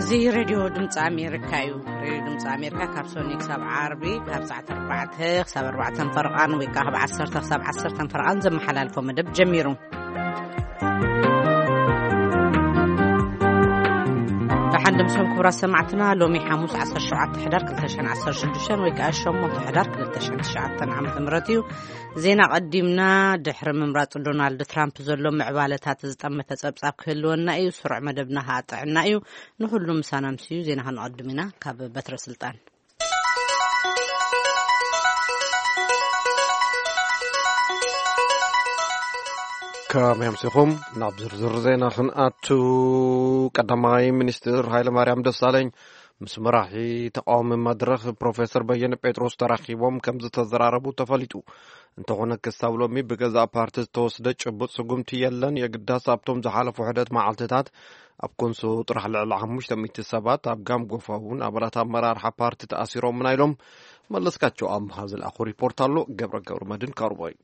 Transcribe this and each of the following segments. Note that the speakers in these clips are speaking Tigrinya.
እዚ ሬድዮ ድምፂ ኣሜሪካ እዩ። ሬድዮ ድምፂ ኣሜሪካ ካብ ሰኒ ክሳብ ዓርቢ ካብ ሰዓት ኣርባዕተ ክሳብ ኣርባዕተን ፈርቓን ወይ ከዓ ካብ ዓሰርተ ክሳብ ዓሰርተን ፈርቓን ዘመሓላልፎ መደብ ጀሚሩ። ደሓን ደምሶም ክቡራት ሰማዕትና፣ ሎሚ ሓሙስ ዓሰርተ ሸውዓተ ሕዳር ክልተ ሽሕን ዓሰርተ ሽዱሽተን ወይ ከዓ ሸሞንተ ሕዳር ክልተ ሽሕን ትሽዓተን ዓመተ ምህረት እዩ። ዜና ቀዲምና። ድሕሪ ምምራጽ ዶናልድ ትራምፕ ዘሎ ምዕባለታት ዝጠመተ ጸብጻብ ክህልወና እዩ። ስሩዕ መደብና ከዓ ጥዕና እዩ። ንኹሉ ምሳና ምስ እዩ። ዜና ክንቐድም ኢና። ካብ በትረ ስልጣን ከመይ ኣምሲኹም? ናብ ዝርዝር ዜና ክንኣቱ። ቀዳማይ ሚኒስትር ሃይለማርያም ደሳለኝ ምስ መራሒ ተቃዋሚ መድረኽ ፕሮፌሰር በየነ ጴጥሮስ ተራኺቦም ከም ዝተዘራረቡ ተፈሊጡ። እንተኾነ ክሳብ ሎሚ ብገዛእ ፓርቲ ዝተወስደ ጭቡጥ ስጉምቲ የለን። የግዳስ ኣብቶም ዝሓለፉ ሕደት መዓልትታት ኣብ ኮንሶ ጥራሕ ልዕሊ ሓሙሽተ ሚእቲ ሰባት፣ ኣብ ጋም ጎፋ እውን ኣባላት ኣመራርሓ ፓርቲ ተኣሲሮምና ኢሎም። መለስካቸው ኣምሃ ዝለኣኹ ሪፖርት ኣሎ። ገብረ ገብረ መድን ካርቦይ።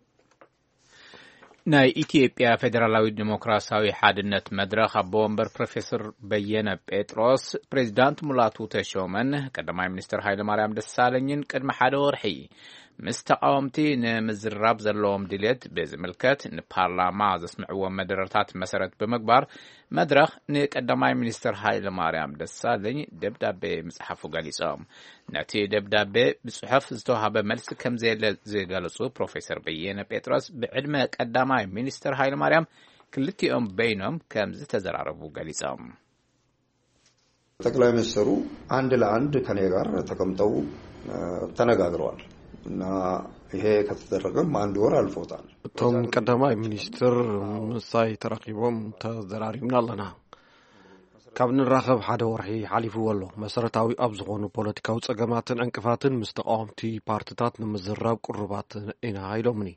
ናይ ኢትዮጵያ ፌዴራላዊ ዲሞክራሲያዊ ሓድነት መድረኽ ኣቦ ወንበር ፕሮፌሰር በየነ ጴጥሮስ፣ ፕሬዚዳንት ሙላቱ ተሾመን ቀዳማይ ሚኒስትር ሃይለማርያም ደሳለኝን ቅድሚ ሓደ ወርሒ ምስ ተቃወምቲ ንምዝራብ ዘለዎም ድልየት ብዝምልከት ንፓርላማ ዘስምዕዎም መደረታት መሰረት ብምግባር፣ መድረኽ ንቀዳማይ ሚኒስትር ሃይለማርያም ደሳለኝ ደብዳቤ ምጽሓፉ ገሊጾም። ነቲ ደብዳቤ ብጽሑፍ ዝተዋህበ መልሲ ከም ዘየለ ዝገለጹ ፕሮፌሰር በየነ ጴጥሮስ፣ ብዕድመ ቀዳማይ ሚኒስትር ሃይለማርያም ክልቲኦም በይኖም ከም ዝተዘራረቡ ገሊጾም። ጠቅላይ ሚኒስትሩ አንድ ለአንድ ከኔ ጋር ተቀምጠው፣ እ፣ ተነጋግረዋል እና ይሄ ከተደረገም አንድ ወር አልፎታል። እቶም ቀዳማይ ሚኒስትር ምሳይ ተራኺቦም ተዘራሪብና ኣለና። ካብ ንራኸብ ሓደ ወርሒ ሓሊፍዎ ኣሎ። መሰረታዊ ኣብ ዝኾኑ ፖለቲካዊ ጸገማትን ዕንቅፋትን ምስ ተቃወምቲ ፓርትታት ንምዝራብ ቅሩባት ኢና ኢሎምኒ።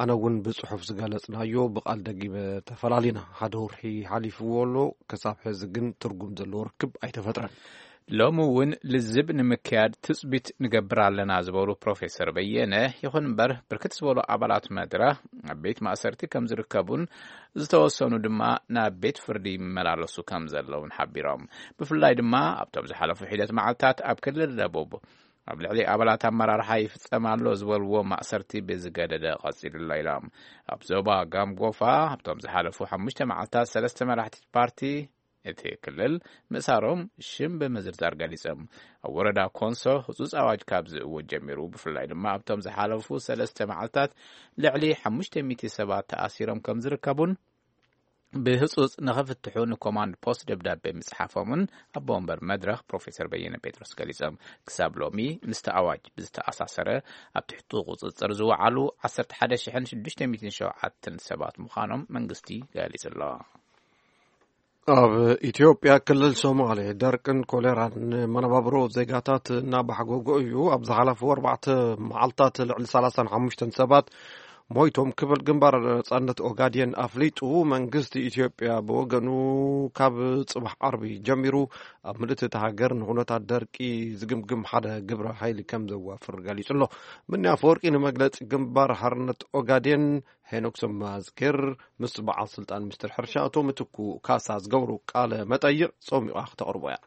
ኣነ እውን ብጽሑፍ ዝገለጽናዮ ብቃል ደጊመ ተፈላሊና። ሓደ ወርሒ ሓሊፍዎ ኣሎ። ክሳብ ሕዚ ግን ትርጉም ዘለዎ ርክብ ኣይተፈጥረን። ሎሚ እውን ልዝብ ንምክያድ ትጽቢት ንገብር ኣለና ዝበሉ ፕሮፌሰር በየነ፣ ይኹን እምበር ብርክት ዝበሉ ኣባላት መድረኽ ኣብ ቤት ማእሰርቲ ከም ዝርከቡን ዝተወሰኑ ድማ ናብ ቤት ፍርዲ ይመላለሱ ከም ዘለውን ሓቢሮም። ብፍላይ ድማ ኣብቶም ዝሓለፉ ሒደት መዓልታት ኣብ ክልል ደቡብ ኣብ ልዕሊ ኣባላት ኣመራርሓ ይፍጸም ኣሎ ዝበልዎ ማእሰርቲ ብዝገደደ ቀጺሉ ኣሎ ኢሎም። ኣብ ዞባ ጋምጎፋ ኣብቶም ዝሓለፉ ሓሙሽተ መዓልታት ሰለስተ መራሕቲ ፓርቲ እቲ ክልል ምእሳሮም ሽም ብምዝርዛር ገሊጾም። ኣብ ወረዳ ኮንሶ ህጹጽ ኣዋጅ ካብ ዝእወጅ ጀሚሩ፣ ብፍላይ ድማ ኣብቶም ዝሓለፉ ሰለስተ መዓልታት ልዕሊ ሓሙሽተ ሚእቲ ሰባት ተኣሲሮም ከም ዝርከቡን ብህጹጽ ንኽፍትሑ ንኮማንድ ፖስት ደብዳቤ ምጽሓፎምን ኣቦ ወንበር መድረኽ ፕሮፌሰር በየነ ጴጥሮስ ገሊጾም። ክሳብ ሎሚ ምስቲ ኣዋጅ ብዝተኣሳሰረ ኣብ ትሕቲ ቁጽጽር ዝወዓሉ ዓሰርተ ሓደ ሽሕን ሽዱሽተ ሚእትን ሸውዓተን ሰባት ምዃኖም መንግስቲ ገሊጹ ኣሎ። ኣብ ኢትዮጵያ ክልል ሶማሌ ደርቅን ኮሌራን መነባብሮ ዜጋታት እናባሕጎጎ እዩ። ኣብ ዝሓለፉ ኣርባዕተ መዓልታት ልዕሊ ሰላሳን ሓሙሽተን ሰባት ሞይቶም ክብል ግንባር ነጻነት ኦጋዴን ኣፍሊጡ። መንግስቲ ኢትዮጵያ ብወገኑ ካብ ጽባሕ ዓርቢ ጀሚሩ ኣብ ምልእቲ እታ ሃገር ንኹነታት ደርቂ ዝግምግም ሓደ ግብረ ሓይሊ ከም ዘዋፍር ገሊጹ ኣሎ። ምንያ ኣፈወርቂ ንመግለጺ ግንባር ሓርነት ኦጋዴን ሄኖክ ሰማዝጌር ምስ በዓል ስልጣን ሚኒስትር ሕርሻ ኣቶ ምትኩ ካሳ ዝገብሩ ቃለ መጠይቕ ጾሚቓ ክተቕርቦ እያ።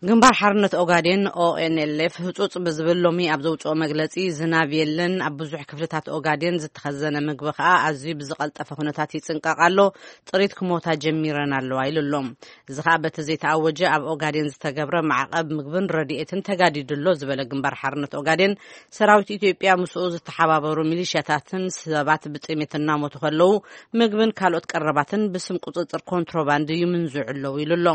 ግንባር ሓርነት ኦጋዴን፣ ኦኤንኤልኤፍ፣ ህጹጽ ብዝብል ሎሚ ኣብ ዘውጽኦ መግለጺ፣ ዝናብ የለን፣ ኣብ ብዙሕ ክፍልታት ኦጋዴን ዝተኸዘነ ምግቢ ከኣ ኣዝዩ ብዝቐልጠፈ ኩነታት ይጽንቀቕ ኣሎ፣ ጥሪት ክሞታ ጀሚረን ኣለዋ ኢሉ ኣሎ። እዚ ከኣ በቲ ዘይተኣወጀ ኣብ ኦጋዴን ዝተገብረ ማዕቐብ ምግብን ረድኤትን ተጋዲዱ ኣሎ ዝበለ ግንባር ሓርነት ኦጋዴን፣ ሰራዊት ኢትዮጵያ ምስኡ ዝተሓባበሩ ሚሊሽያታትን ሰባት ብጥሜት እናሞቱ ከለዉ፣ ምግብን ካልኦት ቀረባትን ብስም ቁጽጽር ኮንትሮባንድ ይምንዝዑ ኣለዉ ኢሉ ኣሎ።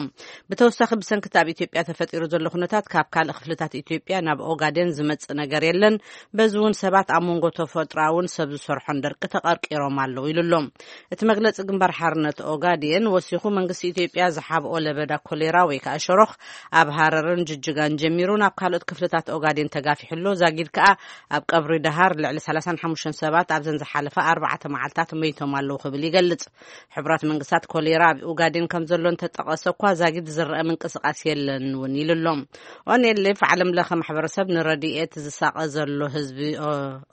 ብተወሳኺ፣ ብሰንኪ እቲ ኣብ ኢትዮጵያ ተፈጢሩ ዘሎ ኩነታት ካብ ካልእ ክፍልታት ኢትዮጵያ ናብ ኦጋዴን ዝመጽእ ነገር የለን። በዚ እውን ሰባት ኣብ መንጎ ተፈጥሮኣውን ሰብ ዝሰርሖን ደርቂ ተቐርቂሮም ኣለዉ ኢሉ ኣሎ። እቲ መግለጺ ግንባር ሓርነት ኦጋዴን ወሲኹ፣ መንግስቲ ኢትዮጵያ ዝሓብኦ ለበዳ ኮሌራ ወይ ከዓ ሸሮኽ ኣብ ሃረርን ጅጅጋን ጀሚሩ ናብ ካልኦት ክፍልታት ኦጋዴን ተጋፊሑ ኣሎ። ዛጊድ ከኣ ኣብ ቀብሪ ደሃር ልዕሊ ሰላሳን ሓሙሽተን ሰባት ኣብዘን ዝሓለፈ ኣርባዕተ መዓልታት መይቶም ኣለዉ ክብል ይገልጽ። ሕቡራት መንግስታት ኮሌራ ኣብ ኦጋዴን ከም ዘሎ እንተጠቐሰ እኳ፣ ዛጊድ ዝረአ ምንቅስቓስ የለን። ኢሉ ኣሎ። ኦኔሌፍ ዓለም ለኸ ማሕበረሰብ ንረድኤት ዝሳቐ ዘሎ ህዝቢ ኦ-፣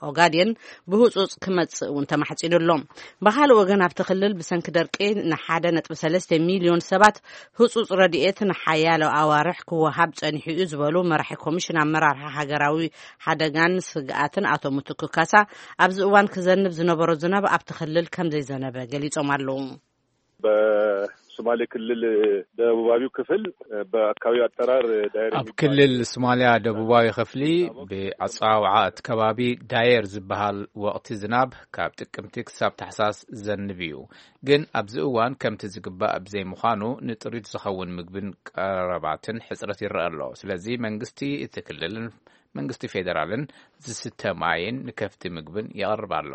ኦጋዴን ብህጹጽ ክመጽእ እውን ተማሕጺኑ ኣሎ። ብኻልእ ወገን ኣብቲ ክልል ብሰንኪ ደርቂ ንሓደ ነጥቢ ሰለስተ ሚልዮን ሰባት ህጹጽ ረድኤት ንሓያሎ ኣዋርሕ ክወሃብ ጸኒሑ እዩ ዝበሉ መራሒ ኮሚሽን ኣመራርሓ ሃገራዊ ሓደጋን ስግኣትን ኣቶ ምትኩ ካሳ ኣብዚ እዋን ክዘንብ ዝነበሮ ዝናብ ኣብቲ ክልል ከም ዘይዘነበ ገሊጾም ኣለዉ። በሶማሌ ክልል ደቡባዊው ክፍል በአካባቢው አጠራር ዳይር ኣብ የሚባል ክልል ሶማሊያ ደቡባዊ ክፍሊ ብኣጸዋውዓ እቲ ከባቢ ዳየር ዝበሃል ወቕቲ ዝናብ ካብ ጥቅምቲ ክሳብ ታሕሳስ ዘንብ እዩ። ግን ኣብዚ እዋን ከምቲ ዝግባእ ብዘይምዃኑ ንጥሪት ዝኸውን ምግብን ቀረባትን ሕጽረት ይረአ ኣሎ። ስለዚ መንግስቲ እቲ ክልልን መንግስቲ ፌደራልን ዝስተ ማይን ንከፍቲ ምግብን የቕርብ ኣሎ።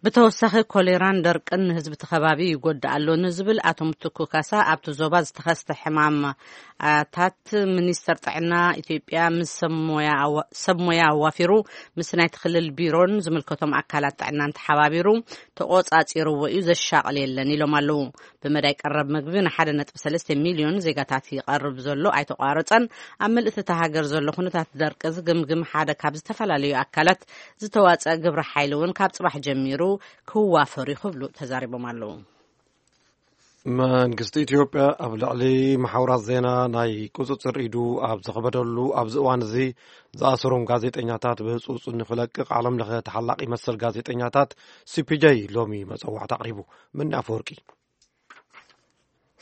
ብተወሳኺ ኮሌራን ደርቅን ንህዝቢ እቲ ከባቢ ይጎድእ ኣሎ ንዝብል ኣቶ ምትኩ ካሳ ኣብቲ ዞባ ዝተኸስተ ሕማማታት ሚኒስተር ጥዕና ኢትዮጵያ ምስ ሰብ ሞያ ኣዋ-፣ ሰብ ሞያ ኣዋፊሩ ምስ ናይቲ ክልል ቢሮን ዝምልከቶም ኣካላት ጥዕናን ተሓባቢሩ ተቖጻጺርዎ እዩ፣ ዘሻቕል የለን ኢሎም ኣለዉ። ብመዳይ ቀረብ ምግቢ ንሓደ ነጥቢ ሰለስተ ሚልዮን ዜጋታት ይቐርብ ዘሎ ኣይተቋረጸን። ኣብ ምልእቲ እታ ሃገር ዘሎ ኩነታት ደርቂ ዝግምግም ሓደ ካብ ዝተፈላለዩ ኣካላት ዝተዋጸአ ግብረ ሓይሊ እውን ካብ ጽባሕ ጀሚሩ ክዋፈር እዩ ክብሉ ተዛሪቦም ኣለዉ። መንግስቲ ኢትዮጵያ ኣብ ልዕሊ መሓውራት ዜና ናይ ቁጽጽር ኢዱ ኣብ ዘኽበደሉ ኣብዚ እዋን እዚ ዝኣሰሮም ጋዜጠኛታት ብህጹጽ ንኽለቅቕ ዓለም ለኸ ተሓላቒ መሰል ጋዜጠኛታት ሲ ፒ ጄ ሎሚ መጸዋዕታ ኣቕሪቡ። ምኒ ኣፈወርቂ።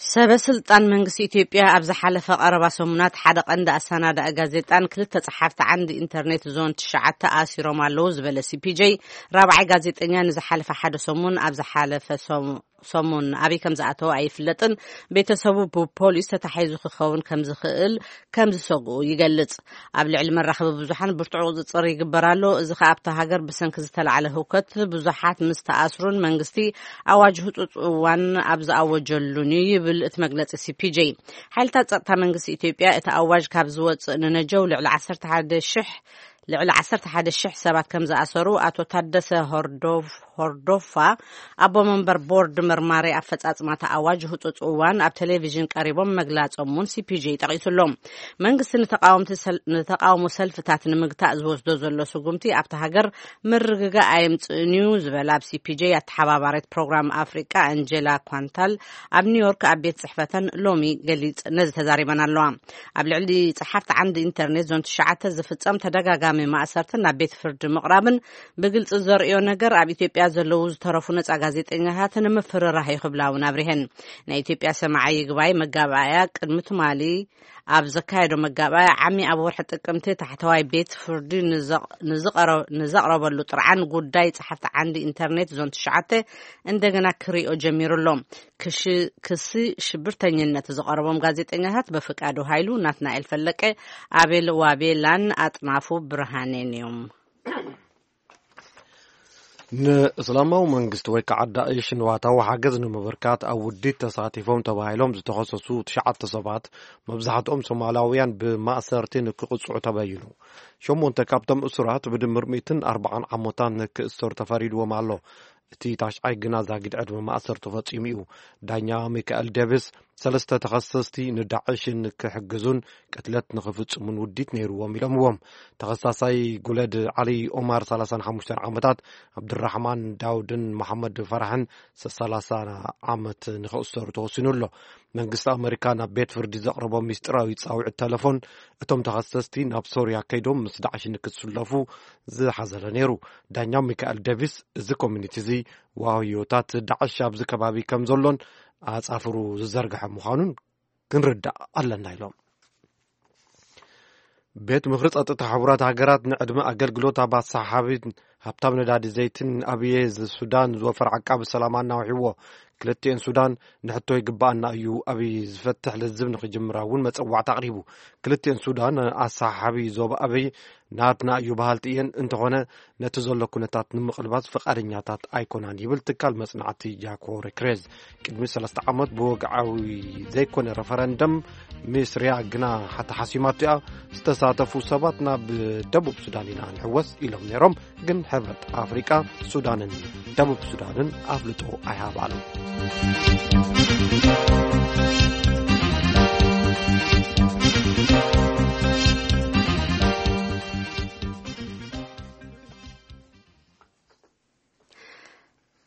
ሰበ ስልጣን መንግስቲ ኢትዮጵያ ኣብ ዝሓለፈ ቀረባ ሰሙናት ሓደ ቀንዲ ኣሰናዳኢ ጋዜጣን ክልተ ጸሓፍቲ ዓንዲ ኢንተርኔት ዞን ትሽዓተ ኣሲሮም ኣለዉ ዝበለ ሲ ፒ ጄ፣ ራብዓይ ጋዜጠኛ ንዝሓለፈ ሓደ ሰሙን ኣብ ዝሓለፈ ሰሙ-፣ ሰሙን ኣበይ ከም ዝኣተወ ኣይፍለጥን። ቤተሰቡ ብፖሊስ ተታሒዙ ክኸውን ከም ዝኽእል ከም ዝሰግኡ ይገልጽ። ኣብ ልዕሊ መራኸቢ ብዙሓን ብርቱዕ ቁጽጽር ይግበር ኣሎ። እዚ ኸኣ ኣብታ ሃገር ብሰንኪ ዝተላዕለ ህውከት ብዙሓት ምስ ተኣስሩን መንግስቲ ኣዋጅ ህጹጽ እዋን ኣብ ዝኣወጀሉን እዩ ይብል እቲ መግለጺ ሲ ፒ ጄ። ሓይልታት ጸጥታ መንግስቲ ኢትዮጵያ እቲ ኣዋጅ ካብ ዝወጽእ ንነጀው ልዕሊ ዓሰርተ ሓደ ሽሕ ልዕሊ ዓሰርተ ሓደ ሽሕ ሰባት ከም ዝኣሰሩ ኣቶ ታደሰ ሆርዶፍ-፣ ሆርዶፋ ኣቦ መንበር ቦርድ መርማሪ ኣፈጻጽማ እቲ ኣዋጅ ህጹጽ እዋን ኣብ ቴሌቪዥን ቀሪቦም መግላጾም እውን ሲ ፒ ጄ ጠቒሱ ኣሎ። መንግስቲ ንተቃወምቲ ሰል-፣ ንተቃውሞ ሰልፍታት ንምግታእ ዝወስዶ ዘሎ ስጉምቲ ኣብቲ ሃገር ምርግጋእ ኣየምጽእን እዩ ዝበላ ኣብ ሲ ፒ ጄ ኣተሓባባሪት ፕሮግራም ኣፍሪቃ ኣንጀላ ኳንታል ኣብ ኒውዮርክ ኣብ ቤት ጽሕፈተን ሎሚ ገሊጽ ነዚ ተዛሪበን ኣለዋ። ኣብ ልዕሊ ጸሓፍቲ ዓንዲ ኢንተርኔት ዞን ትሽዓተ ዝፍጸም ተደጋጋሚ ማእሰርትን ናብ ቤት ፍርዲ ምቕራብን ብግልጺ ዘርእዮ ነገር ኣብ ኢትዮጵያ ዘለዉ ዝተረፉ ነጻ ጋዜጠኛታት ንምፍርራህ እዩ ክብላ እውን ኣብሪሀን። ናይ ኢትዮጵያ ሰማዒ ይግባይ መጋባእያ ቅድሚ ትማሊ ኣብ ዘካየዶ መጋባእያ ዓሚ ኣብ ወርሒ ጥቅምቲ ታሕተዋይ ቤት ፍርዲ ንዘቕ-፣ ንዝቐረ-፣ ንዘቕረበሉ ጥርዓን ጉዳይ ጸሓፍቲ ዓንዲ ኢንተርኔት ዞን ትሽዓተ እንደገና ክሪኦ ጀሚሩ ኣሎ። ክሺ-፣ ክሲ ሽብርተኝነት ዝቐረቦም ጋዜጠኛታት በፍቃዱ ሃይሉ፣ ናትናኤል ፈለቀ፣ ኣቤል ዋቤላን ኣጥናፉ ብርሃኔን እዮም። ንእስላማዊ መንግስቲ ወይ ከዓ ዳእሽ ንዋታዊ ሓገዝ ንምብርካት ኣብ ውዲት ተሳቲፎም ተባሂሎም ዝተኸሰሱ ትሽዓተ ሰባት፣ መብዛሕትኦም ሶማላውያን፣ ብማእሰርቲ ንክቕፅዑ ተበይኑ። ሸሞንተ ካብቶም እሱራት ብድምር ሚእትን ኣርባዓን ዓመታት ንክእሰሩ ተፈሪድዎም ኣሎ። እቲ ታሽዓይ ግና ዛጊድ ዕድመ ማእሰር ተፈጺሙ እዩ። ዳኛ ሚካኤል ዴቪስ፣ ሰለስተ ተኸሰስቲ ንዳዕሽን ክሕግዙን ቅትለት ንኽፍጽሙን ውዲት ነይርዎም ኢሎምዎም። ተኸሳሳይ ጉለድ ዓሊ ኦማር፣ ሰላሳን ሓሙሽተን ዓመታት፣ ኣብድራሕማን ዳውድን መሓመድ ፈራሕን፣ ሰላሳ ዓመት ንኽእሰሩ ተወሲኑ ኣሎ። መንግስቲ ኣመሪካ ናብ ቤት ፍርዲ ዘቕረቦ ሚስጢራዊ ጻውዒት ተለፎን፣ እቶም ተኸሰስቲ ናብ ሶርያ ከይዶም ምስ ዳዕሽ ንክትስለፉ ዝሓዘለ ነይሩ። ዳኛ ሚካኤል ዴቪስ፣ እዚ ኮሚኒቲ እዚ ዋህዮታት ዳዕሽ ኣብዚ ከባቢ ከም ዘሎን ኣጻፍሩ ዝዘርግሐ ምዃኑን ክንርዳእ ኣለና ኢሎም። ቤት ምኽሪ ጸጥታ ሕቡራት ሃገራት ንዕድመ ኣገልግሎት ኣብ ኣሰሓሓቢ ሃብታም ነዳዲ ዘይትን ኣብየ ሱዳን ዝወፈር ዓቃቢ ሰላም ኣናውሕዎ። ክልቲኤን ሱዳን ንሕቶ ይግባኣና እዩ ኣብይ ዝፈትሕ ልዝብ ንኽጅምራ እውን መጸዋዕታ ኣቕሪቡ። ክልቲኤን ሱዳን ኣሰሓሓቢ ዞባ ኣብይ ናትና እዩ በሃልቲ እየን፣ እንተኾነ ነቲ ዘሎ ኩነታት ንምቕልባስ ፍቓደኛታት ኣይኮናን ይብል ትካል መጽናዕቲ ጃኮ ሬክሬዝ። ቅድሚ ሰለስተ ዓመት ብወግዓዊ ዘይኮነ ረፈረንደም ሚስርያ ግና ሓተሓሲማቶ እያ። ዝተሳተፉ ሰባት ናብ ደቡብ ሱዳን ኢና ንሕወስ ኢሎም ነይሮም፣ ግን ሕብረት ኣፍሪቃ ሱዳንን ደቡብ ሱዳንን ኣፍልጦ ኣይሃባሉ።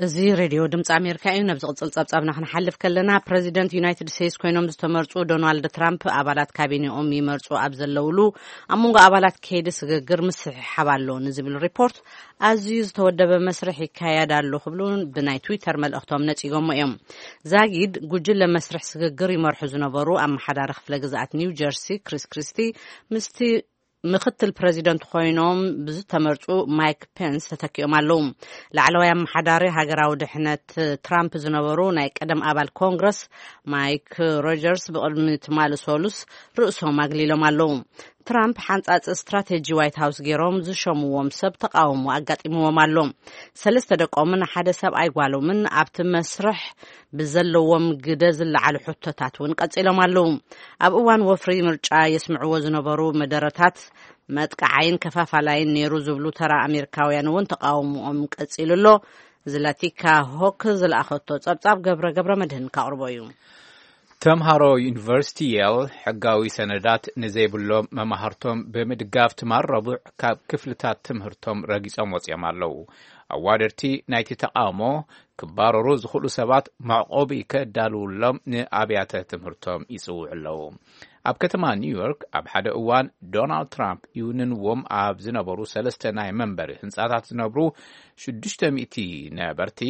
እዚ ሬድዮ ድምፂ ኣሜሪካ እዩ። ናብ ዝቕፅል ጸብጻብና ክንሓልፍ ከለና፣ ፕረዚደንት ዩናይትድ ስቴትስ ኮይኖም ዝተመርጹ ዶናልድ ትራምፕ ኣባላት ካቢኔኦም ይመርጹ ኣብ ዘለውሉ፣ ኣብ መንጎ ኣባላት ከይዲ ስግግር ምስሕሓብ ኣሎ ንዝብል ሪፖርት፣ ኣዝዩ ዝተወደበ መስርሕ ይካየድ ኣሎ ክብሉ ብናይ ትዊተር መልእኽቶም ነጺጎሞ እዮም። ዛጊድ፣ ጉጅለ መስርሕ ስግግር ይመርሑ ዝነበሩ ኣመሓዳሪ ክፍለ ግዝኣት ኒው ጀርሲ ክሪስ ክሪስቲ፣ ምስቲ ምክትል ፕረዚደንት ኮይኖም ብዝተመርጹ ማይክ ፔንስ ተተኪኦም ኣለዉ። ላዕለዋይ ኣመሓዳሪ ሃገራዊ ድሕነት ትራምፕ ዝነበሩ ናይ ቀደም ኣባል ኮንግረስ ማይክ ሮጀርስ ብቕድሚ ትማሊ ሰሉስ ርእሶም ኣግሊሎም ኣለዉ። ትራምፕ ሓንጻጽ ስትራቴጂ ዋይት ሃውስ ገይሮም ዝሸምዎም ሰብ ተቃውሞ ኣጋጢምዎም ኣሎ። ሰለስተ ደቆምን ሓደ ሰብኣይ ጓሎምን ኣብቲ መስርሕ ብዘለዎም ግደ ዝለዓሉ ሕቶታት እውን ቀጺሎም ኣለዉ። ኣብ እዋን ወፍሪ ምርጫ የስምዕዎ ዝነበሩ መደረታት መጥቃዓይን ከፋፋላይን ነይሩ ዝብሉ ተራ ኣሜሪካውያን እውን ተቃውሞኦም ቀጺሉ ኣሎ። ዝላቲካ ሆክ ዝለኣኸቶ ጸብጻብ ገብረ ገብረ መድህን ካቕርቦ እዩ። ተምሃሮ ዩኒቨርሲቲ የል ሕጋዊ ሰነዳት ንዘይብሎም መማህርቶም ብምድጋፍ ትማል ረቡዕ ካብ ክፍልታት ትምህርቶም ረጊጾም ወጺኦም ኣለዉ። ኣዋደድቲ ናይቲ ተቃውሞ ክባረሩ ዝኽእሉ ሰባት መዕቆቢ ከዳልውሎም ንኣብያተ ትምህርቶም ይጽውዑ ኣለዉ። ኣብ ከተማ ኒውዮርክ ኣብ ሓደ እዋን ዶናልድ ትራምፕ ይውንንዎም ኣብ ዝነበሩ ሰለስተ ናይ መንበሪ ህንጻታት ዝነብሩ ሽዱሽተ ሚእቲ ነበርቲ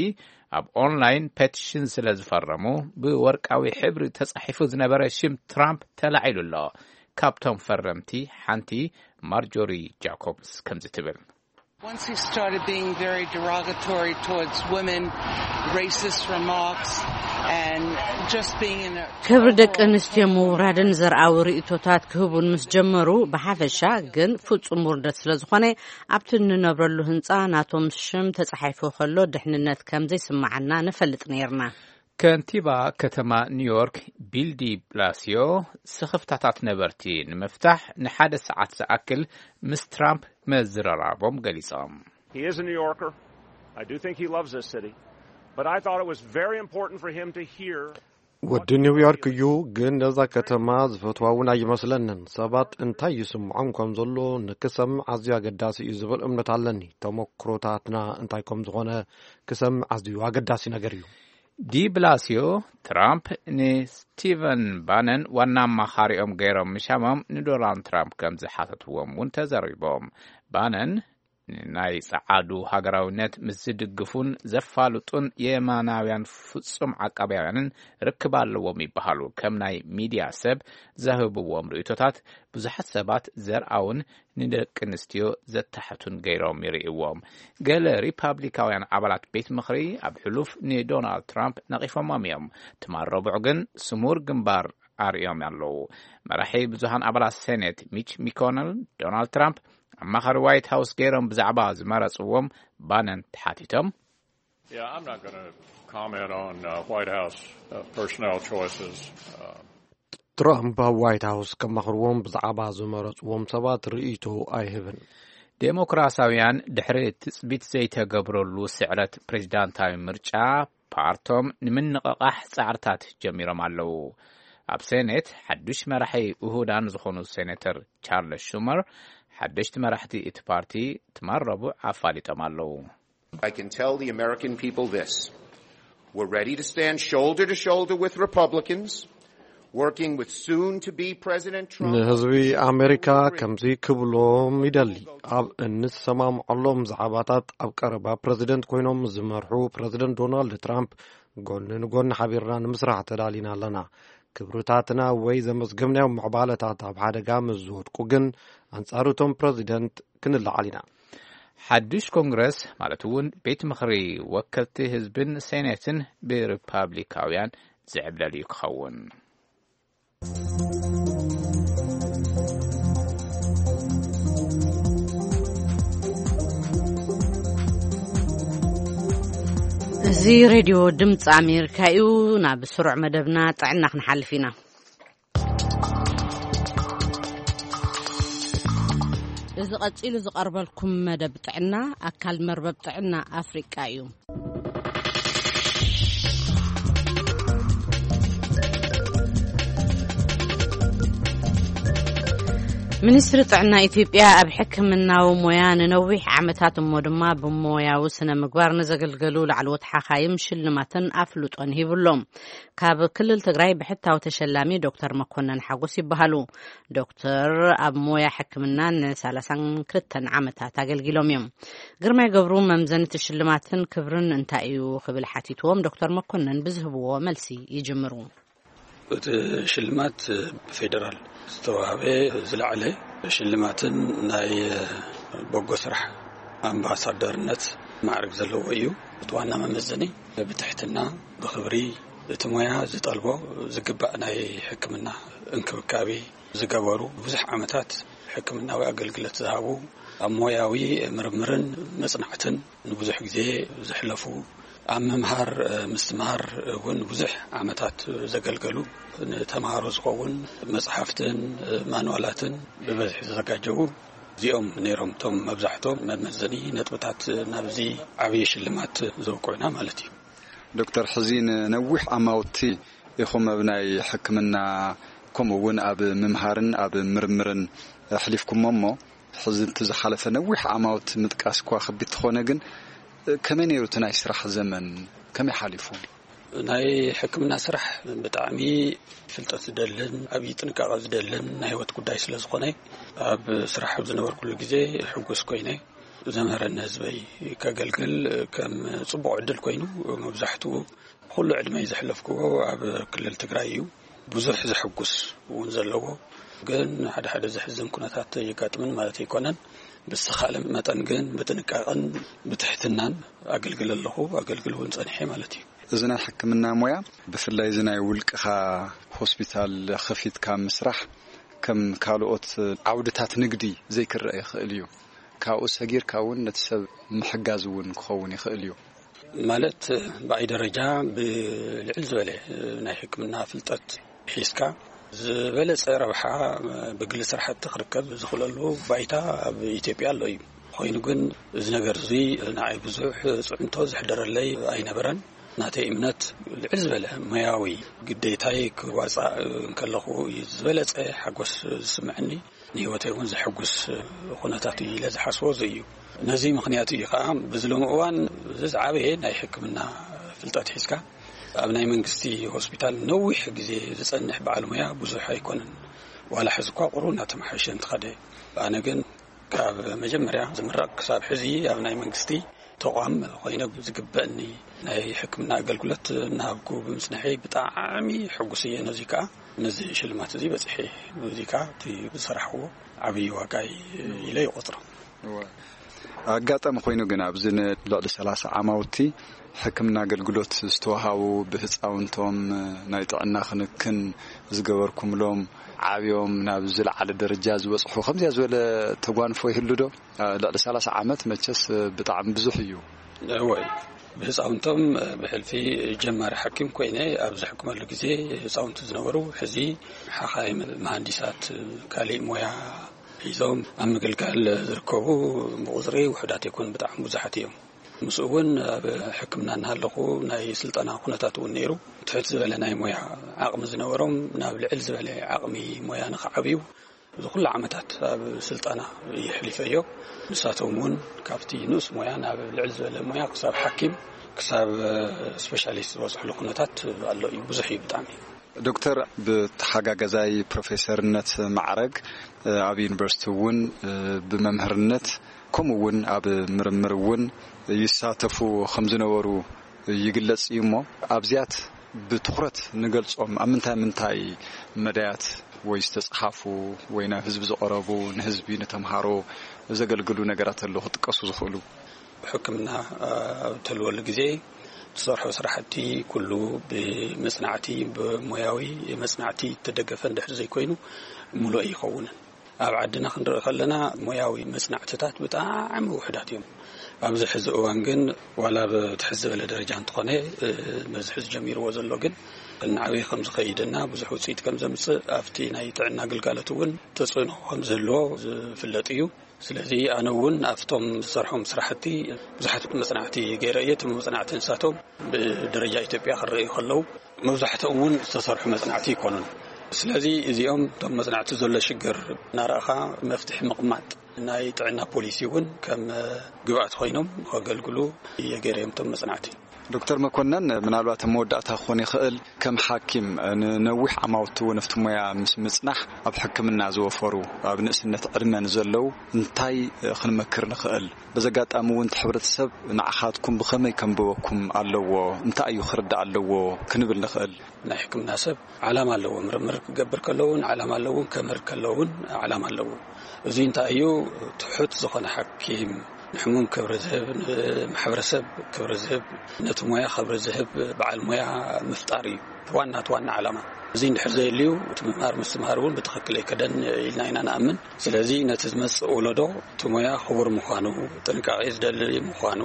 ኣብ ኦንላይን ፔቲሽን ስለ ዝፈረሙ፣ ብወርቃዊ ሕብሪ ተጻሒፉ ዝነበረ ሽም ትራምፕ ተላዒሉ ኣሎ። ካብቶም ፈረምቲ ሓንቲ ማርጆሪ ጃኮብስ ከምዚ ትብል። Once he started being very derogatory towards women, racist remarks, and just being in a ክብሪ ደቂ ኣንስትዮ ምውራድን ዘርኣዊ ርእይቶታት ክህቡን ምስ ጀመሩ፣ ብሓፈሻ ግን ፍጹም ውርደት ስለ ዝኾነ፣ ኣብቲ እንነብረሉ ህንጻ ናቶም ሽም ተጻሒፉ ከሎ ድሕንነት ከም ዘይስምዓና ንፈልጥ ነይርና። ከንቲባ ከተማ ኒውዮርክ ቢል ዲ ብላሲዮ፣ ስኽፍታታት ነበርቲ ንምፍታሕ ንሓደ ሰዓት ዝኣክል ምስ ትራምፕ መዝረራቦም ገሊጾም። He is a New Yorker. I do think he loves this city. But I thought it was very important for him to hear ወዲ ኒውዮርክ እዩ፣ ግን ነዛ ከተማ ዝፈትዋ እውን ኣይመስለንን። ሰባት እንታይ ይስምዖም ከም ዘሎ ንክሰምዕ ኣዝዩ ኣገዳሲ እዩ ዝብል እምነት ኣለኒ። ተመክሮታትና እንታይ ከም ዝኾነ ክሰምዕ ኣዝዩ ኣገዳሲ ነገር እዩ። ዲ ብላሲዮ፣ ትራምፕ ንስቲቨን ባነን ዋና ኣማኻሪኦም ገይሮም ምሻሞም ንዶናልድ ትራምፕ ከም ዝሓተትዎም እውን ተዘሪቦም። ባነን ንናይ ጸዓዱ ሃገራዊነት ምስ ዝድግፉን ዘፋልጡን የማናውያን ፍጹም ዓቃብያውያንን ርክብ ኣለዎም ይበሃሉ። ከም ናይ ሚድያ ሰብ ዘህብዎም ርእይቶታት ብዙሓት ሰባት ዘርኣውን ንደቂ ኣንስትዮ ዘታሕቱን ገይሮም ይርእይዎም። ገለ ሪፓብሊካውያን ኣባላት ቤት ምኽሪ ኣብ ሕሉፍ ንዶናልድ ትራምፕ ነቒፎሞም እዮም። ትማል ረቡዕ ግን ስሙር ግንባር ኣርእዮም ኣለዉ። መራሒ ብዙሃን ኣባላት ሴኔት ሚች ሚኮነል፣ ዶናልድ ትራምፕ ኣማኻሪ ዋይት ሃውስ ገይሮም ብዛዕባ ዝመረጽዎም ባነን ተሓቲቶም። Yeah, I'm not going to comment on uh, White House uh, personnel choices. Uh, ትራምፕ ኣብ ዋይት ሃውስ ከማኽርዎም ብዛዕባ ዝመረጽዎም ሰባት ርእይቶ ኣይህብን። ዴሞክራሲያውያን ድሕሪ ትጽቢት ዘይተገብረሉ ስዕረት ፕሬዚዳንታዊ ምርጫ ፓርቶም ንምንቕቓሕ ጻዕርታት ጀሚሮም ኣለዉ። ኣብ ሴኔት ሓዱሽ መራሒ ውሁዳን ዝኾኑ ሴኔተር ቻርለስ ሹመር ሓደሽቲ መራሕቲ እቲ ፓርቲ ትማል ረቡዕ ኣፋሊጦም ኣለዉ። I can tell the American people this. We're ready to stand shoulder to shoulder with Republicans, working with soon to be President Trump. ንህዝቢ ኣሜሪካ ከምዚ ክብሎም ይደሊ። ኣብ እንሰማምዐሎም ዛዕባታት ኣብ ቀረባ ፕረዚደንት ኮይኖም ዝመርሑ ፕረዚደንት ዶናልድ ትራምፕ ጎኒ ንጎኒ ሓቢርና ንምስራሕ ተዳሊና ኣለና። ክብርታትና ወይ ዘመዝገብናዮም ምዕባለታት ኣብ ሓደጋ ምስ ዝወድቁ ግን ኣንጻር እቶም ፕረዚደንት ክንለዓል ኢና። ሓድሽ ኮንግረስ ማለት እውን ቤት ምኽሪ ወከልቲ ህዝብን ሴኔትን ብሪፓብሊካውያን ዝዕብለል እዩ ክኸውን። እዚ ሬድዮ ድምፂ ኣሜሪካ እዩ። ናብ ስሩዕ መደብና ጥዕና ክንሓልፍ ኢና። እዚ ቀጺሉ ዝቐርበልኩም መደብ ጥዕና ኣካል መርበብ ጥዕና ኣፍሪቃ እዩ። ሚኒስትሪ ጥዕና ኢትዮጵያ ኣብ ሕክምናዊ ሞያ ንነዊሕ ዓመታት እሞ ድማ ብሞያዊ ስነ ምግባር ንዘገልገሉ ላዕለዎት ሓኻይም ሽልማትን ኣፍልጦን ሂቡ ኣሎ። ካብ ክልል ትግራይ ብሕታዊ ተሸላሚ ዶክተር መኮነን ሓጎስ ይበሃሉ። ዶክተር ኣብ ሞያ ሕክምና ን32 ዓመታት ኣገልጊሎም እዮም። ግርማይ ገብሩ መምዘኒ እቲ ሽልማትን ክብርን እንታይ እዩ ክብል ሓቲትዎም፣ ዶክተር መኮነን ብዝህብዎ መልሲ ይጅምሩ። እቲ ሽልማት ብፌደራል ዝተዋህበ ዝለዓለ ሽልማትን ናይ በጎ ስራሕ ኣምባሳደርነት ማዕረግ ዘለዎ እዩ። እቲ ዋና መመዘኒ ብትሕትና፣ ብኽብሪ፣ እቲ ሞያ ዝጠልቦ ዝግባእ ናይ ሕክምና እንክብካቤ ዝገበሩ፣ ብዙሕ ዓመታት ሕክምናዊ ኣገልግሎት ዝሃቡ፣ ኣብ ሞያዊ ምርምርን መጽናዕትን ንብዙሕ ግዜ ዘሕለፉ፣ ኣብ ምምሃር፣ እ፣ ምስትምሃር እውን ብዙሕ ዓመታት ዘገልገሉ፣ ንተምሃሮ ዝኸውን መጽሓፍትን፣ እ፣ ማንዋላትን ብበዝሒ ዘዘጋጀዉ እዚኦም ነይሮም። እቶም መብዛሕቶም መመዘኒ ነጥብታት ናብዚ ዓብዪ ሽልማት ዘብቅዑና ማለት እዩ። ዶክተር፣ ሕዚ ንነዊሕ ዓማውቲ ኢኹም ኣብ ናይ ሕክምና፣ ከምኡ እውን ኣብ ምምሃርን ኣብ ምርምርን ኣሕሊፍኩሞ እሞ፣ ሕዚ እቲ ዝሓለፈ ነዊሕ ዓማውቲ ምጥቃስ እኳ ከቢድ ተኾነ፣ ግን ከመይ ነይሩ እቲ ናይ ስራሕ ዘመን? ከመይ ሓሊፉ? ናይ ሕክምና ስራሕ ብጣዕሚ ፍልጠት ዝደልን ዓብዪ ጥንቃቐ ዝደልን ናይ ህይወት ጉዳይ ስለ ዝኾነ፣ ኣብ ስራሕ ኣብ ዝነበርኩሉ ግዜ ሕጉስ ኮይነ፣ ዘምህረኒ ህዝበይ ከገልግል ከም ጽቡቕ ዕድል ኮይኑ፣ መብዛሕትኡ ኩሉ ዕድመይ ዘሕለፍክዎ ኣብ ክልል ትግራይ እዩ። ብዙሕ ዘሐጉስ እውን ዘለዎ፣ ግን ሓደ ሓደ ዘሕዝን ኩነታት የጋጥምን ማለት ኣይኮነን። ብዝተኻእለ መጠን ግን ብጥንቃቐን ብትሕትናን ኣገልግል ኣለኹ፣ ኣገልግል እውን ጸኒሐ ማለት እዩ። እዚ ናይ ሕክምና ሞያ፣ ብፍላይ እዚ ናይ ውልቅኻ ሆስፒታል ከፊትካ ምስራሕ፣ ከም ካልኦት ዓውድታት ንግዲ ዘይክረአ ይኽእል እዩ። ካብኡ ሰጊርካ እውን ነቲ ሰብ ምሕጋዝ እውን ክኸውን ይኽእል እዩ። ማለት፣ ብኣይ ደረጃ ብልዕል ዝበለ ናይ ሕክምና ፍልጠት ሒዝካ፣ ዝበለጸ ረብሓ ብግሊ ስራሕቲ ክርከብ ዝኽእለሉ ባይታ ኣብ ኢትዮጵያ ኣሎ እዩ። ኮይኑ ግን፣ እዚ ነገር እዚ ንዓይ ብዙሕ ጽዕንቶ ዘሕደረለይ ኣይነበረን። ናተይ እምነት፣ ልዕል ዝበለ ሞያዊ ግዴታይ ክዋጻእ እንከለኹ እዩ ዝበለጸ ሓጎስ ዝስምዐኒ። ንህይወተይ እውን ዘሐጉስ ኩነታት እዩ ኢለ ዝሓስቦ እዚ እዩ። ነዚ ምኽንያት እዩ ከዓ፣ በዚ ሎሚ እዋን እዚ ዝዓበየ ናይ ሕክምና ፍልጠት ሒዝካ ኣብ ናይ መንግስቲ ሆስፒታል ነዊሕ ግዜ ዝጸንሕ በዓል ሞያ ብዙሕ ኣይኮነን። ዋላ ሕዚ እኳ ቁሩብ እናተመሓየሸ እንትኸደ፣ ኣነ ግን ካብ መጀመርያ ዝምረቕ ክሳብ ሕዚ ኣብ ናይ መንግስቲ ተቋም ኮይነ ዝግበእኒ ናይ ሕክምና ኣገልግሎት እናሃብኩ ብምጽንሐይ ብጣዕሚ ሕጉስ እየ። ነዚ ከዓ፣ ነዚ ሽልማት እዚ በጺሐ፣ እዚ ከዓ እቲ ዝሰራሕዎ ዓብዪ ዋጋ ኢለ ይቆጽሮ። እወ። ኣጋጣሚ ኮይኑ ግን ኣብዚ ንልዕሊ ሰላሳ ዓማውቲ ሕክምና ኣገልግሎት ዝተዋሃቡ ብህፃውንቶም ናይ ጥዕና ክንክን ዝገበርኩምሎም ዓብዮም ናብ ዝለዓለ ደረጃ ዝበፅሑ ከምዚኣ ዝበለ ተጓንፎ ይህሉ ዶ? ልዕሊ ሰላሳ ዓመት መቸስ ብጣዕሚ ብዙሕ እዩ። እወ። ብህፃውንቶም ብሕልፊ ጀማሪ ሓኪም ኮይነ ኣብ ዝሕክመሉ ግዜ ህፃውንቲ ዝነበሩ፣ ሕዚ ሓኻይም፣ መሃንዲሳት፣ ካሊእ ሞያ ሒዞም ኣብ ምግልጋል ዝርከቡ ብቁፅሪ ውሑዳት ኣይኮኑን፣ ብጣዕሚ ብዙሓት እዮም። ምስኡ እውን ኣብ ሕክምና እናሃለኹ ናይ ስልጠና ኩነታት እውን ነይሩ። ትሕት ዝበለ ናይ ሞያ ዓቕሚ ዝነበሮም ናብ ልዕል ዝበለ ዓቕሚ ሞያ ንኽዓብዩ እዚ ኩሉ ዓመታት ኣብ ስልጠና የሕሊፈዮ። ንሳቶም እውን ካብቲ ንኡስ ሞያ ናብ ልዕል ዝበለ ሞያ፣ ክሳብ ሓኪም፣ ክሳብ ስፔሻሊስት ዝበፅሕሉ ኩነታት ኣሎ እዩ። ብዙሕ እዩ ብጣዕሚ። ዶክተር፣ ብተሓጋገዛይ ፕሮፌሰርነት ማዕረግ ኣብ ዩኒቨርሲቲ እውን ብመምህርነት፣ ከምኡ እውን ኣብ ምርምር እውን ይሳተፉ ከም ዝነበሩ ይግለጽ እዩ። እሞ ኣብዚያት ብትኹረት ንገልጾም፣ ኣብ ምንታይ ምንታይ መዳያት ወይ ዝተጽሓፉ ወይ ናብ ህዝቢ ዝቐረቡ፣ ንህዝቢ፣ ንተምሃሮ ዘገልግሉ ነገራት ኣለዉ ክጥቀሱ ዝኽእሉ? ሕክምና ኣብ እትህልወሉ ግዜ ትሰርሖ ስራሕቲ ኩሉ ብመጽናዕቲ፣ ብሞያዊ መጽናዕቲ እተደገፈ እንድሕር ዘይኮይኑ፣ ምሉእ ኣይኸውንን። ኣብ ዓድና ክንርኢ ከለና፣ ሞያዊ መጽናዕትታት ብጣዕሚ ውሑዳት እዮም። ኣብዚ ሕዚ እዋን ግን፣ ዋላ ብትሕት ዝበለ ደረጃ እንተኾነ፣ እ፣ በዚ ሕዚ ጀሚርዎ ዘሎ ግን፣ እናዓበየ ከም ዝኸይድና ብዙሕ ውጽኢት ከም ዘምጽእ ኣብቲ ናይ ጥዕና ግልጋሎት እውን ተጽዕኖ ከም ዝህልዎ ዝፍለጥ እዩ። ስለዚ ኣነ እውን ኣብቶም ዝሰርሖም ስራሕቲ ብዙሓት መጽናዕቲ ገይረ እየ። እቶም መጽናዕቲ ንሳቶም ብደረጃ ኢትዮጵያ ክረኣዩ ከለዉ፣ መብዛሕትኦም እውን ዝተሰርሑ መጽናዕቲ ኣይኮኑን። ስለዚ እዚኦም እቶም መጽናዕቲ ዘሎ ሽግር እናረእኻ መፍትሒ ምቕማጥ ናይ ጥዕና ፖሊሲ እውን ከም ግብኣት ኮይኖም ከገልግሉ የገይረዮም እቶም መጽናዕቲ። ዶክተር መኮነን፣ ምናልባት ኣብ መወዳእታ ክኾን ይኽእል፣ ከም ሓኪም ንነዊሕ ዓማውቲ እውን ኣብቲ ሞያ ምስ ምጽናሕ ኣብ ሕክምና ዝወፈሩ ኣብ ንእስነት ዕድመ ንዘለዉ እንታይ ክንመክር ንኽእል? በዚ ኣጋጣሚ እውን እቲ ሕብረተሰብ ንዓኻትኩም ብኸመይ ከንብበኩም ኣለዎ፣ እንታይ እዩ ክርዳእ ኣለዎ ክንብል ንኽእል? ናይ ሕክምና ሰብ ዓላማ ኣለዎ። ምርምር ክገብር ከለውን ዓላማ ኣለዎ፣ ከምህር ከለውን ዓላማ ኣለዎ። እዚ እንታይ እዩ? ትሑት ዝኾነ ሓኪም ንሕሙም ክብሪ ዝህብ፣ ንማሕበረሰብ ክብሪ ዝህብ፣ ነቲ ሞያ ክብሪ ዝህብ በዓል ሞያ ምፍጣር እዩ ዋና ዋና ዓላማ። እዚ እንድሕር ዘየልዩ እቲ ምምሃር ምስትምሃር እውን ብትኽክል ኣይከደን ኢልና ኢና ንኣምን። ስለዚ ነቲ ዝመጽእ ወለዶ እቲ ሞያ ክቡር ምዃኑ፣ ጥንቃቄ ዝደሊ ምዃኑ፣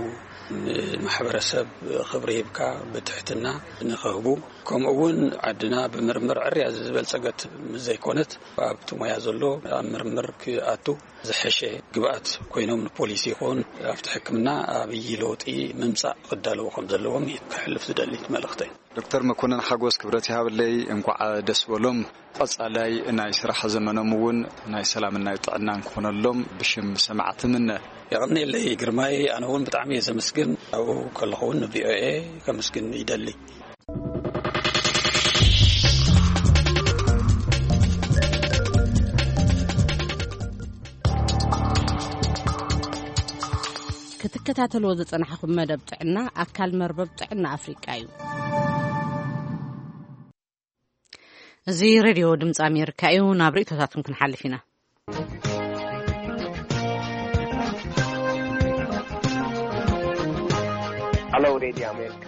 ንማሕበረሰብ ክብሪ ሂብካ ብትሕትና ንኽህቡ፣ ከምኡ እውን ዓድና ብምርምር ዕርያ ዝበልጸገት ምስ ዘይኮነት ኣብቲ ሞያ ዘሎ ኣብ ምርምር ክኣቱ ዝሐሸ ግብኣት ኮይኖም ንፖሊሲ ይኹን ኣብቲ ሕክምና ኣብይ ለውጢ ምምጻእ ክዳለዉ ከም ዘለዎም እዩ ክሕልፍ ዝደሊ መልእኽተይ። ዶክተር መኮንን ሓጎስ ክብረት ይሃብለይ፣ እንኳዕ ደስ በሎም። ቀጻላይ ናይ ስራሕ ዘመኖም እውን ናይ ሰላምን ናይ ጥዕናን ክኾነሎም ብሽም ሰማዕቲ ምነ። የቐንየለይ ግርማይ፣ ኣነ እውን ብጣዕሚ እየ ዘመስግን። ኣብኡ ከለኹ እውን ንቪኦኤ ከመስግን ይደሊ። ክትከታተልዎ ዝጸናሕኹም መደብ ጥዕና ኣካል መርበብ ጥዕና ኣፍሪቃ እዩ። እዚ ሬድዮ ድምፂ ኣሜሪካ እዩ። ናብ ርእይቶታትኩም ክንሓልፍ ኢና። ሃሎ ሬድዮ ኣሜሪካ፣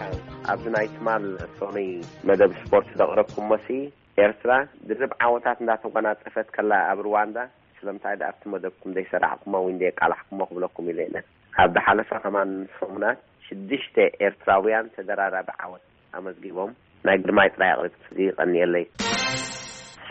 ኣብዚ ናይ ትማል ሰኑይ መደብ ስፖርት ዘቕረብኩሞሲ፣ ኤርትራ ድርብ ዓወታት እንዳተጓናጸፈት ከላ ኣብ ሩዋንዳ ስለምንታይ ደኣ ኣብቲ መደብኩም ዘይሰራዕኩሞ ወይ እንደየቃላሕኩሞ ክብለኩም ኢለ እነ። ኣብ ዝሓለፈ ከማን ሰሙናት ሽዱሽተ ኤርትራውያን ተደራራቢ ዓወት ኣመዝጊቦም። ናይ ግርማይ ጥራይ ኣቕሪብኩ፣ የቐንየለይ።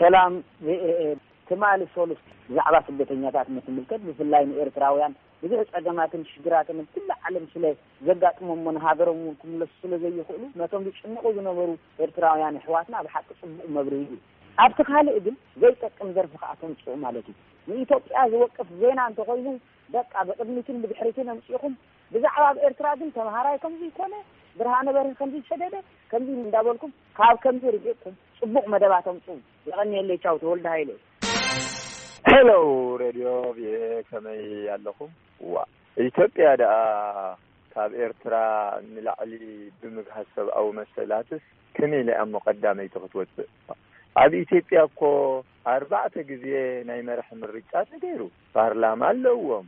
ሰላም ቪኦኤ፣ ትማሊ ሶሉስ ብዛዕባ ስደተኛታት እንትምልከት ብፍላይ ንኤርትራውያን ብዙሕ ጸገማትን ሽግራትን ኣብ ኩሉ ዓለም ስለ ዘጋጥሞም እሞ ንሃገሮም እውን ክምለሱ ስለ ዘይኽእሉ ነቶም ዝጭነቑ ዝነበሩ ኤርትራውያን ኣሕዋትና ብሓቂ ጽቡቕ መብርሂ እዩ። ኣብቲ ካልእ ግን ዘይጠቅም ደርፊ ከኣ ተምጽኡ ማለት እዩ። ንኢትዮጵያ ዝወቅስ ዜና እንተኾይኑ በቃ ብቕድሚትን ብድሕሪትን ኣምጺእኹም ብዛዕባ ኣብ ኤርትራ ግን ተምሃራይ ከምዚ ኮነ፣ ብርሃነ በርሀ ከምዚ ሰደደ፣ ከምዚ እንዳበልኩም ካብ ከምዚ ርሒቕኩም ጽቡቕ መደባት ኣምጽኡ። የቐንየለይ። ቻው፣ ተወልደ ሃይለ። ሄሎ ሬድዮ ቪኦኤ፣ ከመይ ኣለኹም? ዋ፣ ኢትዮጵያ ደኣ ካብ ኤርትራ ንላዕሊ ብምግሃስ ሰብኣዊ መሰላትስ ከመይ ኢላ እሞ ቀዳመይቲ ክትወጽእ? ኣብ ኢትዮጵያ እኮ ኣርባዕተ ግዜ ናይ መራሒ ምርጫ ተገይሩ። ፓርላማ ኣለዎም።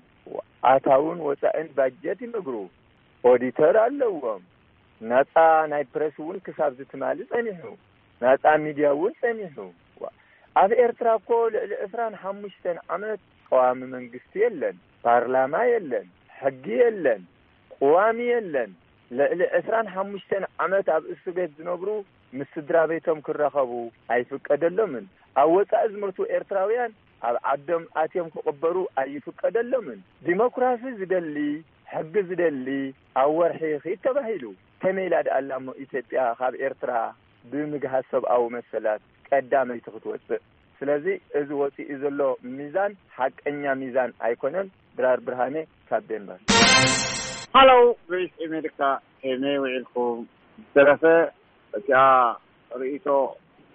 ኣታውን ወጻእን ባጀት ይምግሩ። ኦዲተር ኣለዎም። ናጻ ናይ ፕረስ እውን ክሳብ ዝትማሊ ጸኒሑ። ናጻ ሚድያ እውን ጸኒሑ። ዋ፣ ኣብ ኤርትራ እኮ ልዕሊ ዕስራን ሓሙሽተን ዓመት ቀዋሚ መንግስቲ የለን፣ ፓርላማ የለን፣ ሕጊ የለን፣ ቅዋም የለን። ልዕሊ ዕስራን ሓሙሽተን ዓመት ኣብ እስር ቤት ዝነብሩ ምስ ስድራ ቤቶም ክራኸቡ ኣይፍቀደሎምን። ኣብ ወጻኢ ዝመቱ ኤርትራውያን ኣብ ዓዶም ኣትዮም ክቕበሩ ኣይፍቀደሎምን። ዲሞክራሲ ዝደሊ፣ ሕጊ ዝደሊ ኣብ ወርሒ ይኺድ ተባሂሉ። ከመይ ኢላ ደኣ ኣላ እሞ ኢትዮጵያ ካብ ኤርትራ ብምግሃስ ሰብኣዊ መሰላት ቀዳመይቲ ክትወጽእ? ስለዚ እዚ ወጺኡ ዘሎ ሚዛን ሓቀኛ ሚዛን ኣይኮነን። ድራር ብርሃነ ካብ ዴንማርክ። ሃሎ ቮይስ ኣሜሪካ፣ ከመይ ውዒልኩም? ዝተረፈ እቲኣ ርእይቶ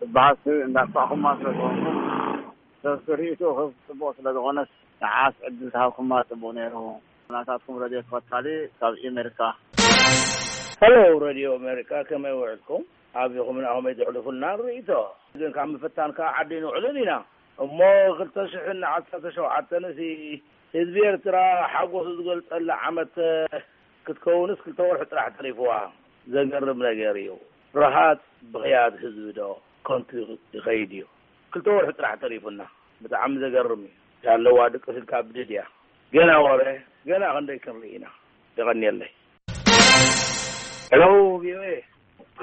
ትበሃል እንዳጥፋእኩማ ስለ ዝኾንኩም፣ ሰብሲ ርእይቶ ክህብ ጽቡቕ ስለ ዝኾነስ ንዓስ ዕድል ተሃብኩማ ጽቡቕ ነይሩ። ናታትኩም ረድዮ ተኸታሊ ካብ ኣሜሪካ። ሄሎ ረድዮ ኣሜሪካ፣ ከመይ ውዕልኩም? ኣቢኹም ናኹመይ ተሕልፉልና ርእይቶ። ግን ካብ ምፍታን ከዓ ዓዲ ንውዕልን ኢና። እሞ ክልተ ሽሕን ዓሰርተ ሸውዓተን ሲ ህዝቢ ኤርትራ ሓጎሱ ዝገልጸላ ዓመት ክትከውንስ ክልተ ወርሒ ጥራሕ ተሪፍዋ። ዘገርም ነገር እዩ። ረሃጽ ብኽያት ህዝቢ ዶ ከንቱ ይኸይድ እዩ? ክልተ ወርሒ ጥራሕ ተሪፉና። ብጣዕሚ ዘገርም እዩ። ያለዋ ድቅስ ኢልካ ብድድ እያ። ገና ወረ፣ ገና ክንደይ ክንርኢ ኢና። የቐንየለይ። ሄሎ ቪኦኤ፣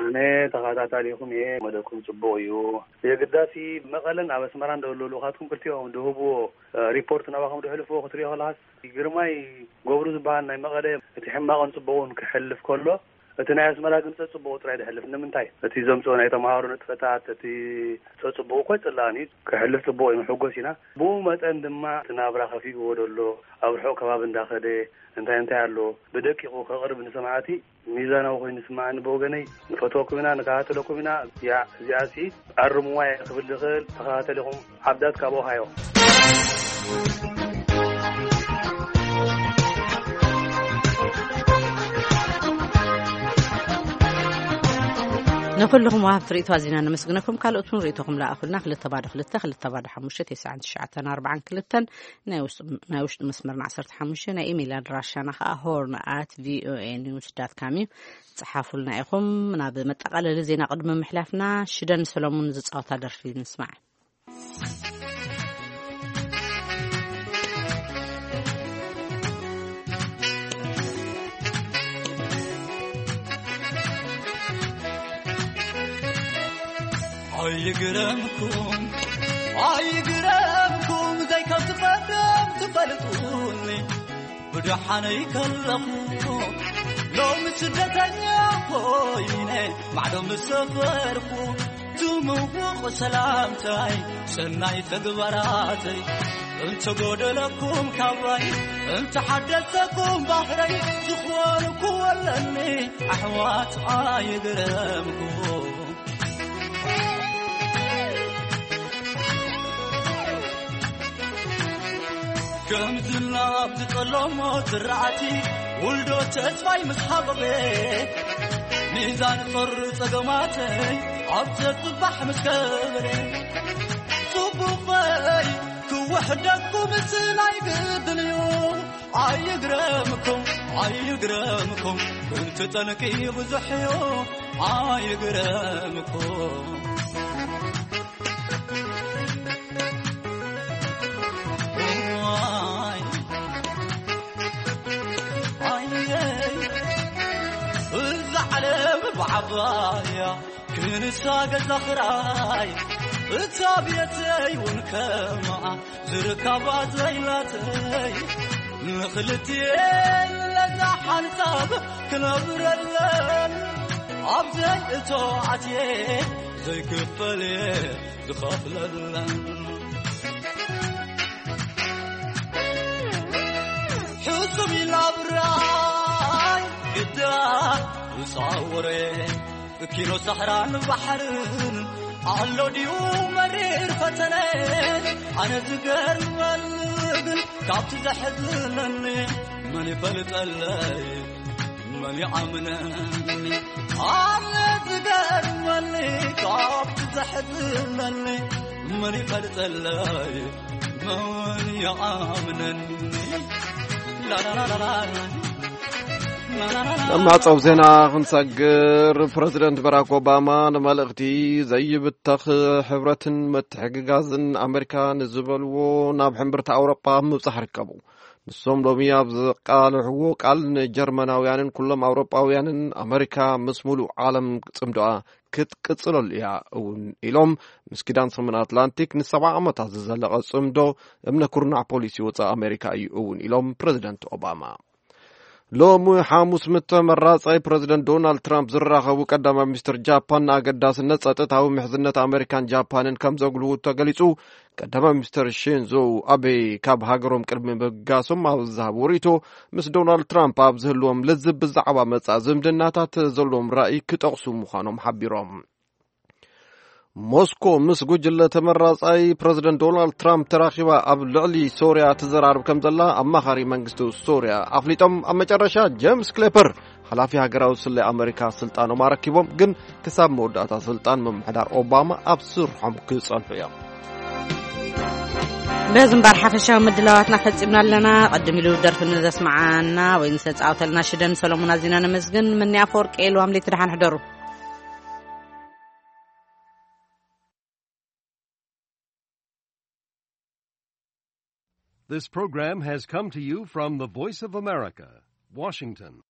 ኣነ ተኸታታሊኹም እየ። መደብኩም ጽቡቕ እዩ። የግዳሲ መቐለን ኣብ ኣስመራን ዘለዉ ልኡኻትኩም ክልቲኦም ድህብዎ ሪፖርት ናባኹም ድሕልፍዎ ክትሪኦ ከለኻስ ግርማይ ገብሩ ዝበሃል ናይ መቐለ እቲ ሕማቕን ጽቡቕን ክሕልፍ ከሎ እቲ ናይ ኣስመራ ግን ጸጽቡቑ ጥራይ ድሕልፍ። ንምንታይ? እቲ ዘምጽኦ ናይ ተምሃሮ ንጥፈታት፣ እቲ ጸጽቡቑ እኮ ኣይጽላእን እዩ። ክሕልፍ ጽቡቕ እዩ፣ ንሕጎስ ኢና። ብኡ መጠን ድማ እቲ ናብራ ከፊእዎ ደሎ፣ ኣብ ርሑቕ ከባቢ እንዳኸደ እንታይ እንታይ ኣሎ ብደቂቑ ከቕርብ ንሰማዕቲ ሚዛናዊ ኮይኑ ይስማዓኒ። ብወገነይ ንፈትወኩም ኢና፣ ንከታተለኩም ኢና። እዚኣ እዚኣ ሲ ኣርምዋ እየ ክብል ዝኽእል። ተኸታተሊኹም። ዓብዳት ካብ ኦሃዮ። ንኩልኹም ወሃብቲ ርእይቶ ኣዚና ነመስግነኩም። ካልኦት እውን ርእይቶኹም ለኣኹልና። ክልተ ባዶ ክልተ፣ ክልተ ባዶ ሓሙሽተ፣ ተስዓን ትሽዓተን ኣርባዓን ክልተን ናይ ውሽጢ ናይ ውሽጢ መስመርና ዓሰርተ ሓሙሽተ፣ ናይ ኢሜይል ኣድራሻና ከዓ ሆርን ኣት ቪኦኤ ኒውስ ዳት ካም እዩ። ጸሓፉልና ኢኹም። ናብ መጠቓለሊ ዜና ቅድሚ ምሕላፍና ሽደን ሰሎሙን ዝጻወታ ደርፊ ንስማዕ። ኣይግረምኩም፣ ኣይግረምኩም፣ ዘይከም ትፈርዶም ትፈልጡኒ። ብደሓነይ ከለኹ ሎሚ ስደተኛ ኮይነ ማዕዶ ምስ ሰፈርኩ፣ ትምውቕ ሰላምታይ ሰናይ ተግባራተይ፣ እንተጎደለኩም ካባይ፣ እንተሓደሰኩም ባህረይ፣ ዝኾንኩዎ ኣለኒ ኣሕዋት ኣይግረምኩም። ከም ዝናብ ዝጠለሞ ዝራእቲ ውልዶ ተስፋይ ምስ ሃበበ፣ ሚዛን ጾር ጸገማተይ ኣብ ዘጽባሕ ምስ ከበረ፣ ጽቡቐይ ክውሕደኩም ስለ ኣይግድን እዩ። ኣይግረምኩም፣ ኣይግረምኩም፣ ክንቱ ጠንቂ ብዙሕ እዩ። ኣይግረምኩም። ዋይ፣ ኣየ፣ እዛ ዓለም ብዓባያ ክንሳ ገዛ ኽራይ፣ እታ ቤተይ እውን ከምኣ ዝርካባ ዘይላተይ፣ ንኽልቲኤን ለዛ ሓንሳብ ክነብረለን፣ ኣብ ዘይእቶ ኣትየ ዘይክፈል እየ ዝኸፍለለን። ሕሱም ኢላ ብራይ ግዳ ዝፃወረ ኪኖ ሰሕራን ባሕርን ኣሎ ድዩ መሪር ፈተነ? ኣነ ዝገርመኒ ግን ካብቲ ዘሕዝነኒ መን ይፈልጠለይ? መን ይኣምነኒ? ኣነ ዝገርመኒ ካብቲ ዘሕዝነኒ መን ይፈልጠለይ? መን ይኣምነኒ? ላላላላላ። ናብ ማዕጸዊ ዜና ክንሰግር፣ ፕረዚደንት ባራክ ኦባማ ንመልእኽቲ ዘይብተኽ ሕብረትን ምትሕግጋዝን ኣመሪካ ንዝበልዎ ናብ ሕምብርቲ ኣውሮጳ ኣብ ምብጻሕ ርከቡ። ንሶም ሎሚ ኣብ ዘቃልሕዎ ቃል፣ ንጀርመናውያንን ኩሎም ኣውሮጳውያንን ኣመሪካ ምስ ሙሉእ ዓለም ጽምዶኣ ክትቅጽለሉ እያ እውን ኢሎም። ምስ ኪዳን ሰሜን ኣትላንቲክ ንሰብዓ ዓመታት ዝዘለቐ ጽምዶ እምነ ኩርናዕ ፖሊሲ ወጻኢ ኣመሪካ እዩ እውን ኢሎም ፕረዚደንት ኦባማ። ሎሚ ሓሙስ ምስ ተመራጻይ ፕረዚደንት ዶናልድ ትራምፕ ዝራኸቡ ቀዳማይ ሚኒስትር ጃፓን፣ ንኣገዳስነት ጸጥታዊ ምሕዝነት ኣመሪካን ጃፓንን ከም ዘጉልሁ ተገሊጹ። ቀዳማይ ሚኒስትር ሺንዞ ኣቤ ካብ ሃገሮም ቅድሚ ምብጋሶም ኣብ ዝሃብዎ ርእይቶ፣ ምስ ዶናልድ ትራምፕ ኣብ ዝህልዎም ልዝብ ብዛዕባ መጻኢ ዝምድናታት ዘለዎም ራእይ ክጠቕሱ ምዃኖም ሓቢሮም። ሞስኮ ምስ ጉጅለ ተመራጻይ ፕረዚደንት ዶናልድ ትራምፕ ተራኺባ ኣብ ልዕሊ ሶርያ ትዘራረብ ከም ዘላ ኣማኻሪ መንግስቲ ሶርያ ኣፍሊጦም። ኣብ መጨረሻ ጄምስ ክሌፐር ሓላፊ ሃገራዊ ስለያ ኣመሪካ ስልጣኖም ኣረኪቦም፣ ግን ክሳብ መወዳእታ ስልጣን ምምሕዳር ኦባማ ኣብ ስርሖም ክጸንሑ እዮም። በዚ እምበር ሓፈሻዊ ምድላዋትና ፈጺምና ኣለና። ቀድም ኢሉ ደርፊ ንዘስመዓና ወይ ንዘጻወተልና ሽደን ሰሎሞን ኣዚና ነመስግን። ምኒ ኣፈወርቂ፣ ልዋም ለይቲ ደሓን ሕደሩ። This program has come to you from the Voice of America, Washington.